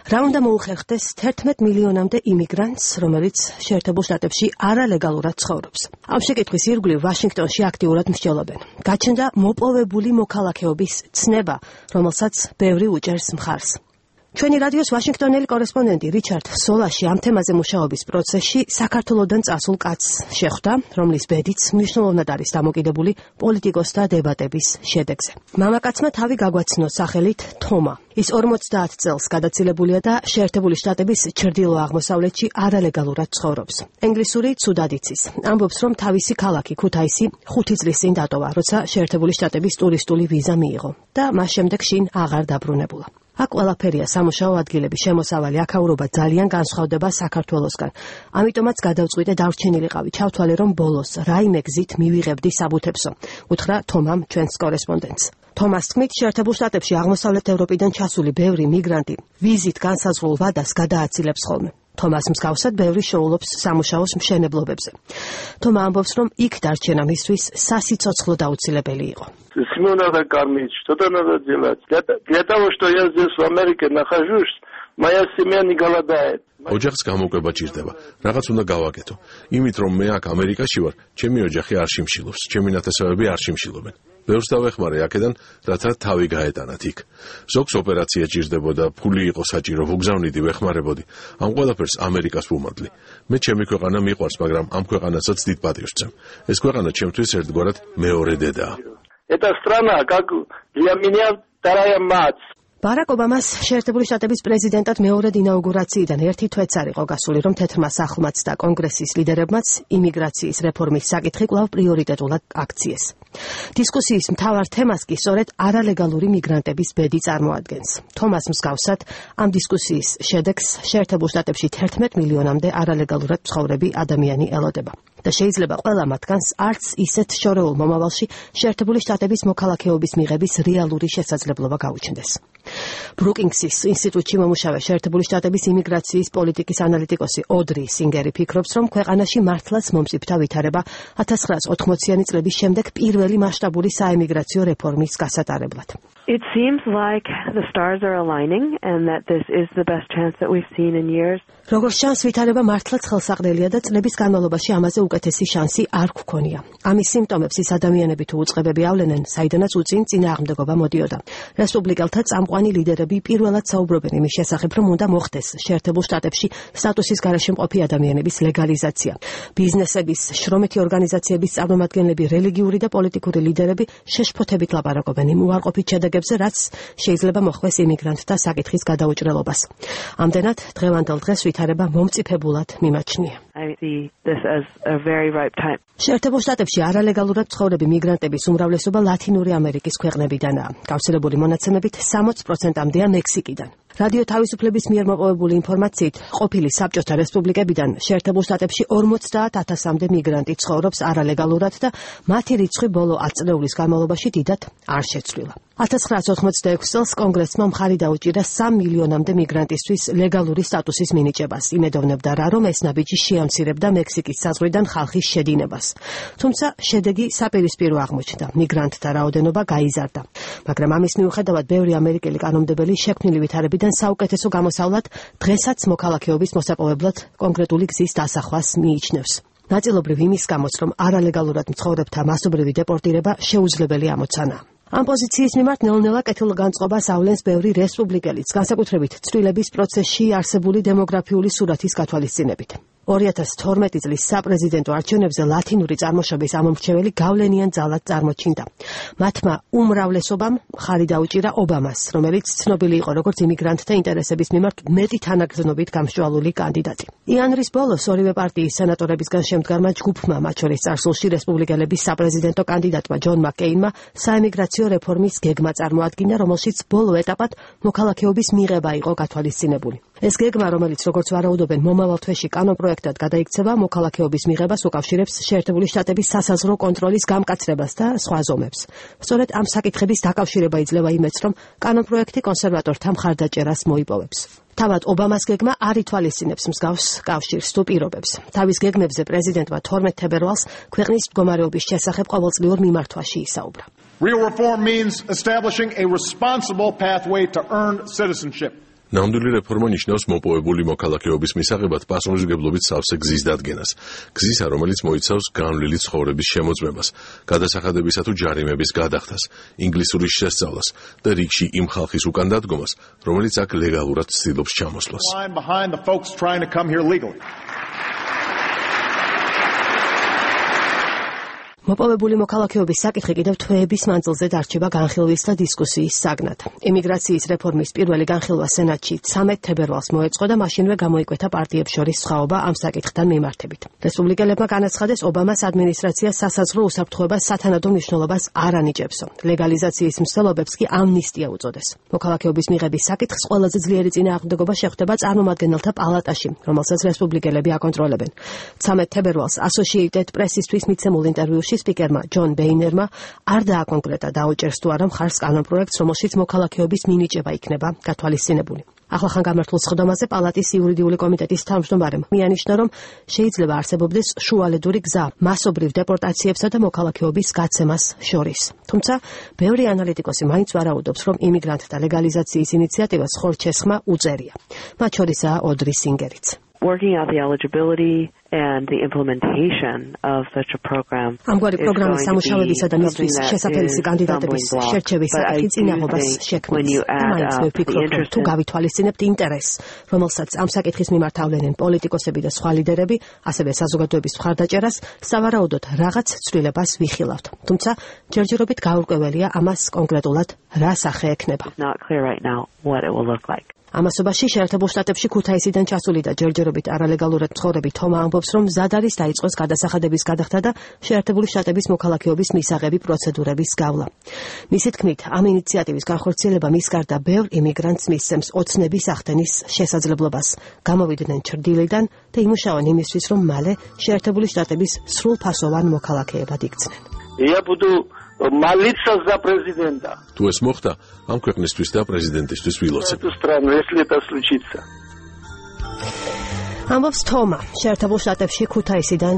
რა უნდა მოუხერხდეს 11 მილიონამდე იმიგრანტს, რომელიც შეერთებულ შტატებში არალეგალურად ცხოვრობს. ამ შეკითხვის ირგვლივ ვაშინგტონში აქტიურად მსჯელობენ. გაჩნდა მოპოვებული მოქალაქეობის ცნება, რომელსაც ბევრი უჭერს მხარს. ჩვენი რადიოს ვაშინგტონელი კორესპონდენტი რიჩარდ სოლაში ამ თემაზე მუშაობის პროცესში საქართველოდან წასულ კაცს შეხვდა, რომლის ბედიც მნიშვნელოვნად არის დამოკიდებული პოლიტიკოსთა დებატების შედეგზე. მამაკაცმა თავი გაგვაცნო სახელით თომა. ის 50 წელს გადაცილებულია და შეერთებული შტატების ჩრდილო-აღმოსავლეთში არალეგალურად ცხოვრობს. ენგლისური ცუდად იცის. ამბობს, რომ თავისი ქალაქი ქუთაისი 5 წლის წინ დატოვა, როცა შეერთებული შტატების ტურისტული ვიზა მიიღო და მას შემდეგ შინ აღარ დაბრუნებულა. აქ ყველაფერია სამუშაო ადგილების შემოსავალი, აქაურობა ძალიან განსხვავდება საქართველოსგან. ამიტომაც გადავწყვიტე დარჩენილიყავი, ჩავთვალე, რომ ბოლოს რაიმე გზით მივიღებდი საბუთებსო. უთხრა თომამ ჩვენს კორესპონდენტს. თომას თქმით, შეერთებულ შტატებში აღმოსავლეთ ევროპიდან ჩასული ბევრი მიგრანტი ვიზით განსაზღვრულ ვადას გადააცილებს ხოლმე. თომას მსგავსად ბევრი შოულობს სამუშაოს მშენებლობებზე. თომა ამბობს, რომ იქ дარჩენა მისთვის სასიცოცხლო დაუცილებელი იყო. Семена кормить, что-то надо делать. Для того, что я здесь в Америке нахожусь, моя семья не голодает. ოჯახს გამოკვება ჭირდება. რაღაც უნდა გავაკეთო. იმით რომ მე აქ ამერიკაში ვარ, ჩემი ოჯახი არ შიმშილობს, ჩემი ნათესავები არ შიმშილობენ. ბევრს დავეხმარე აქედან, რათა თავი გაეტანათ იქ. ზოგს ოპერაცია ჭირდებოდა, ფული იყო საჭირო, ვუგზავნიდი, ვეხმარებოდი. ამ ყველაფერს ამერიკას ვუმადლი. მე ჩემი ქვეყანა მიყვარს, მაგრამ ამ ქვეყანასაც დიდ პატივს ვცემ. ეს ქვეყანა ჩემთვის ერთგვარად მეორე დედაა. Эта страна, как для меня вторая мать. ბარაკ ობამას შეერთებული შტატების პრეზიდენტად მეორედ ინაუგურაციიდან ერთი თვეც არ იყო გასული, რომ თეთრმა სახლმაც და კონგრესის ლიდერებმაც იმიგრაციის რეფორმის საკითხი კვლავ პრიორიტეტულად აქციეს. დისკუსიის მთავარ თემას კი სწორედ არალეგალური მიგრანტების ბედი წარმოადგენს. თომას მსგავსად ამ დისკუსიის შედეგს შეერთებულ შტატებში 11 მილიონამდე არალეგალურად მცხოვრები ადამიანი ელოდება. და შეიძლება ყველა მათგანს არც ისეთ შორეულ მომავალში შეერთებული შტატების მოქალაქეობის მიღების რეალური შესაძლებლობა გაუჩნდეს. ბრუკინგსის ინსტიტუტში მომუშავე შეერთებული შტატების იმიგრაციის პოლიტიკის ანალიტიკოსი ოდრი სინგერი ფიქრობს, რომ ქვეყანაში მართლაც მომწიფდა ვითარება 1980-იანი წლების შემდეგ პირველი მასშტაბური საემიგრაციო რეფორმის გასატარებლად. It seems like the stars are aligning and that this is the best chance that we've seen in years. როგორც ჩანს, ვითარება მართლაც ხელსაყრელია და წლების განმავლობაში ამაზე უკეთესი შანსი არ გვქონია. ამის სიმპტომებს ის ადამიანები თუ უწყებები ავლენენ, საიდანაც უწინ წინააღმდეგობა მოდიოდა. რესპუბლიკელთა წამყვანი ლიდერები პირველად საუბრობენ იმის შესახებ, რომ უნდა მოხდეს შეერთებულ შტატებში სტატუსის გარეშე მყოფი ადამიანების ლეგალიზაცია. ბიზნესების, შრომითი ორგანიზაციების წარმომადგენლები, რელიგიური და პოლიტიკური ლიდერები შეშფოთებით ლაპარაკობენ იმ უარყოფით შედეგებზე, რაც შეიძლება მოხვდეს იმიგრანტთა საკითხის გადაუჭრელობას. ამდენად, დღევანდელ დღეს ვითარება მომწიფებულად მიმაჩნია. შეერთებულ შტატებში არალეგალურად ცხოვრები მიგრანტების უმრავლესობა ლათინური ამერიკის ქვეყნებიდანაა. გავრცელებული მონაცემებით 60%-მდეა მექსიკიდან. რადიო თავისუფლების მიერ მოპოვებული ინფორმაციით, ყოფილი საბჭოთა რესპუბლიკებიდან შეერთებულ შტატებში 50,000-მდე მიგრანტი ცხოვრობს არალეგალურად და მათი რიცხვი ბოლო 10 წლეულის განმავლობაში დიდად არ შეცვლილა. 1986 წელს კონგრესმა მხარი დაუჭირა 3 მილიონამდე მიგრანტისთვის ლეგალური სტატუსის მინიჭებას. იმედოვნებდა რა, რომ ეს ნაბიჯი შეამცირებდა მექსიკის საზღვრიდან ხალხის შედინებას. თუმცა შედეგი საპირისპირო აღმოჩნდა. მიგრანტთა რაოდენობა გაიზარდა. მაგრამ ამის მიუხედავად ბევრი ამერიკელი კანონმდებელი შექმნილი ვითარებიდან საუკეთესო გამოსავლად დღესაც მოქალაქეობის მოსაპოვებლად კონკრეტული გზის დასახვას მიიჩნევს. ნაწილობრივ იმის გამოც, რომ არალეგალურად მცხოვრებთა მასობრივი დეპორტირება შეუძლებელი ამოცანაა. ამ პოზიციის მიმართ ნელ-ნელა კეთილგანწყობას ავლენს ბევრი რესპუბლიკელიც, განსაკუთრებით ცვლილებების პროცესში არსებული დემოგრაფიული სურათის გათვალისწინებით. 2012 წლის საპრეზიდენტო არჩევნებზე ლათინური წარმოშობის ამომრჩეველი გავლენიან ძალად წარმოჩინდა. მათმა უმრავლესობამ მხარი დაუჭირა ობამას, რომელიც ცნობილი იყო როგორც იმიგრანტთა ინტერესების მიმართ მეტი თანაგრძნობით გამსჭვალული კანდიდატი. იანვრის ბოლოს ორივე პარტიის სენატორებისგან შემდგარმა ჯგუფმა, მათ შორის წარსულში რესპუბლიკელების საპრეზიდენტო კანდიდატმა ჯონ მაკკეინმა საემიგრაციო რეფორმის გეგმა წარმოადგინა, რომელშიც ბოლო ეტაპად მოქალაქეობის მიღება იყო გათვალისწინებული. ეს გეგმა, რომელიც როგორც ვარაუდობენ მომავალ თვეში კანონპროექტად გადაიქცევა, მოქალაქეობის მიღებას უკავშირებს შეერთებული შტატების სასაზღვრო კონტროლის გამკაცრებას და სხვა ზომებს. სწორედ ამ საკითხების დაკავშირება იძლევა იმედს, რომ კანონპროექტი კონსერვატორთა მხარდაჭერას მოიპოვებს. თავად ობამას გეგმა არ ითვალისწინებს მსგავს კავშირს თუ პირობებს. თავის გეგმებზე პრეზიდენტმა 12 თებერვალს ქვეყნის მდგომარეობის შესახებ ყოველწლიურ მიმართვაში ისაუბრა. Real reform means establishing a responsible pathway to earn citizenship. ნამდვილი რეფორმა ნიშნავს მოპოვებული მოქალაქეობის მისაღებად პასუხისმგებლობით სავსე გზის დადგენას. გზისა, რომელიც მოიცავს განვლილი ცხოვრების შემოწმებას, გადასახადებისა თუ ჯარიმების გადახდას, ინგლისურის შესწავლას და რიგში იმ ხალხის უკან დადგომას, რომელიც აქ ლეგალურად ცდილობს ჩამოსვლას. მოპოვებული მოქალაქეობის საკითხი კიდევ თვეების მანძილზე დარჩება განხილვის და დისკუსიის საგნად. იმიგრაციის რეფორმის პირველი განხილვა სენატში 13 თებერვალს მოეწყო და მაშინვე გამოიკვეთა პარტიებს შორის სხვაობა ამ საკითხთან მიმართებით. რესპუბლიკელებმა განაცხადეს, ობამას ადმინისტრაცია სასაზღვრო უსაფრთხოებას სათანადო მნიშვნელობას არ ანიჭებსო. ლეგალიზაციის მცდელობებს კი ამნისტია უწოდეს. მოქალაქეობის მიღების საკითხს ყველაზე ძლიერი წინააღმდეგობა შეხვდება წარმომადგენელთა პალატაში, რომელსაც რესპუბლიკელები აკონტროლებენ. 13 თებერვალს Associated Press-ისთვის მიცემულ ინტერვიუში სპიკერმა ჯონ ბეინერმა არ დააკონკრეტა დაუჭერს თუ არა მხარს კანონპროექტს, რომელშიც მოქალაქეობის მინიჭება იქნება გათვალისწინებული. ახლახან გამართულ სხდომაზე პალატის იურიდიული კომიტეტის თავმჯდომარემ მიანიშნა, რომ შეიძლება არსებობდეს შუალედური გზა მასობრივ დეპორტაციებსა და მოქალაქეობის გაცემას შორის. თუმცა, ბევრი ანალიტიკოსი მაინც ვარაუდობს, რომ იმიგრანტთა ლეგალიზაციის ინიციატივას ხორჩესხმა უწერია. მათ შორისაა ოდრი სინგერიც. Working out the eligibility and the implementation of such a program. ამგვარი პროგრამის სამუშაოებისა და მისთვის შესაძლებელი კანდიდატების შერჩევის საკითხი წინაღობას შექმნის. მაინც ვფიქრობ, რომ თუ გავითვალისწინებთ ინტერესს, რომელსაც ამ საკითხის მიმართ ავლენენ პოლიტიკოსები და სხვა ლიდერები, ასევე საზოგადოების მხარდაჭერას, სავარაუდოდ რაღაც ცვლილებას ვიხილავთ. თუმცა, ჯერჯერობით გაურკვეველია ამას კონკრეტულად რა სახე ექნება. Not clear right now what it will look like. ამასობაში შეერთებულ შტატებში ქუთაისიდან ჩასული და ჯერჯერობით არალეგალურად მცხოვრები თომა ამბობს, რომ მზად არის დაიწყოს გადასახადების გადახდა და შეერთებული შტატების მოქალაქეობის მისაღები პროცედურების გავლა. მისი თქმით, ამ ინიციატივის განხორციელება მის გარდა ბევრ იმიგრანტს მისცემს ოცნების ახდენის შესაძლებლობას. გამოვიდნენ ჩრდილიდან და იმუშაონ იმისთვის, რომ მალე შეერთებული შტატების სრულფასოვან მოქალაქეებად იქცნენ. Я буду молиться за президента. თუ ეს მოხდა, ამ ქვეყნისთვის და პრეზიდენტისთვის ვილოცებ. Эту страну, если это случится. ამბობს თომა, შეერთებულ შტატებში ქუთაისიდან